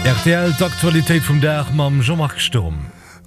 Rtl, D'Aktualitéit vum Dag mam Jean-Marc Sturm.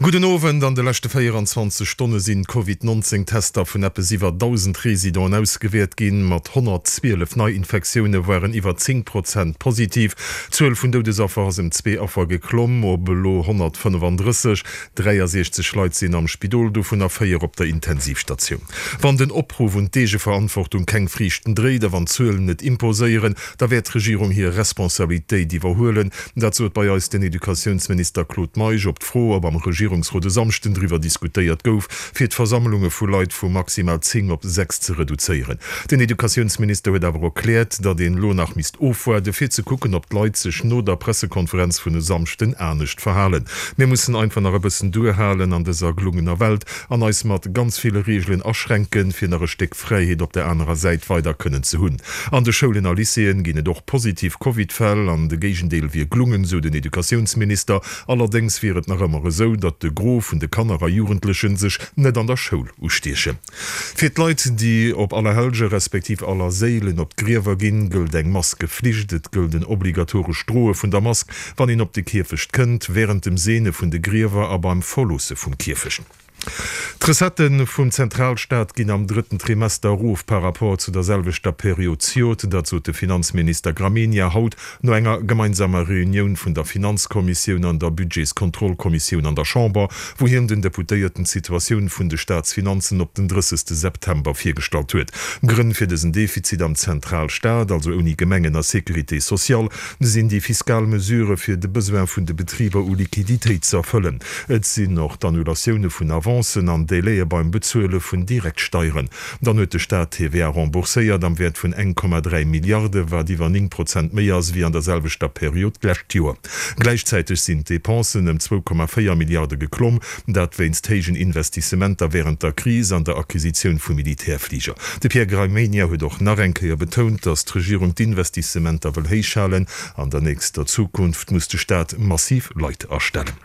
Gudden Owend. An de leschte 24 Stonne sinn d'Covid 19 Tester vun eppes iwwer 1.000 Residenten ausgewäert ginn. Mat 112 Neiinfektioune waren iwwer 10 Prozent positiv. D'Zuel vun Doudesaffer ass ëm zwee Affer geklomm op elo 135. 63 Leit sinn am Spidol, dovunner 4 op der Intensivstatioun. Wann den Opruff un d'Eegeverantwortung keng Friichten dréit a wann d'Zuelen net imposéieren, da wäert d'Regierung hir Responsabilitéit iwwerhuelen. Dat sot bei eis den Educatiounsminister Claude Meisch op d'Fro, ob am Regierungsrot e Samschden driwwer diskutéiert gouf, fir d'Versammlunge vu Leit vu maximal 10 op 6 ze reduzéieren. Den Educatiounsminister huet awer erkläert, datt een elo nach misst ofwaarde fir ze kucken, ob d'Leit sech no der Pressekonferenz vun e Samschden anescht verhalen. Mir mussen einfach nach e bëssen duerhalen an dëser gelungener Welt an eis mat ganz ville Reegelen aschränken, fir nach e Stéck Fräiheet op der anerer Säit weider kënnen ze hunn. An de Schoulen a Lycéeën ginn et och positiv Covid-Fäll an de Géigendeel wier glungen, sou den Educatiounsminister. Allerdéngs wier et nach ëmmer esou, datt de Gros vun de Kanner a Jugendlechen sech net an der Schoul ustiechen. Fir d'Leit, déi op Allerhellge respektiv Allerséilen op d'Griewer ginn, gëllt eng Maskeflicht. Et gëllt en obligatorescht Droe vun der Mask, wann een op de Kierfecht kënnt, wärend dem Seene vun de Griewer a beim Verloosse vum Kierfecht. D'Recettë vum Zentralstaat ginn am drëtten Trimester erof par rapport zu der selwechter Period zejoert. Dat sot de Finanzminister Gramegna haut no enger gemeinsamer Reunioun vun der Finanzkommissioun an der Budgetskontrollkommissioun an der Chamber, wou hien den Deputéierten d'Situatioun vun de Staatsfinanzen op den 30 September virgestallt huet. Grënn fir dësen Defizit am Zentralstaat, also ouni Gemengen a Sécurité sociale, sinn déi fiskal Mesurë fir de Besoin vun de Betriber u Liquiditéit ze erfëllen. Et sinn och d'Annulatioune vun Avancen an Délaië beim Bezuele vun Direktsteieren. Dann huet de Staat TVA rembourséiert am Wäert vun 1,3 Milliarde, wat iwwer 9 Prozent méi ass wéi an der selwechter Period d'lescht Joer. Gläichzäiteg sinn d'Depensen ëm 2,4 Milliarde geklomm, dat wéinst héijen Investissementer wärend der Kris an der Acquisitioun vu Militärfliger. De Pierre Gramegna huet och nach eng Kéier betount, datt d'Regierung d'Investissementer wëll héich halen. An der nächster Zukunft muss de Staat massiv Leit astellen.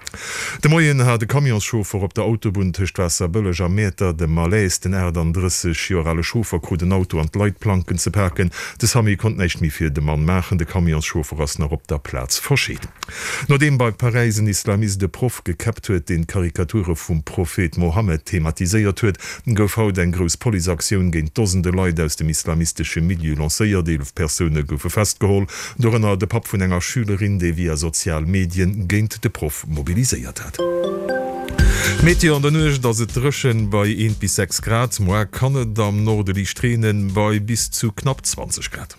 De Moien hat e Camionschauffer op der Autobunn tëscht Waasserbëlleg a Mäertert e Malaise. Den 38 Joer ale Chauffer krut en Auto an d'Leitplanken ze paken. De Samu konnt näischt méi fir de Mann maachen. De Camionschauffer ass nach op der Plaz verscheet. Nodeem bei Paräis en Islamist e Proff gekäppt huet, deen d'Karikature vum Prophet Mohammed thematiséiert huet, gouf haut eng grouss Policeaktioun géint Dosende Leit aus dem islamistesche Milieu lancéiert. 11 Persoune goufe festgeholl, dorënner de Papp vun enger Schülerin, dee via sozial Medien géint de Proff mobiliséiert hat. Meteo, An der Nuecht ass et dréchen bei 1 bis 6 Grad, moar kann et am Norde liicht reenen, bei bis zu knapp 20 Grad.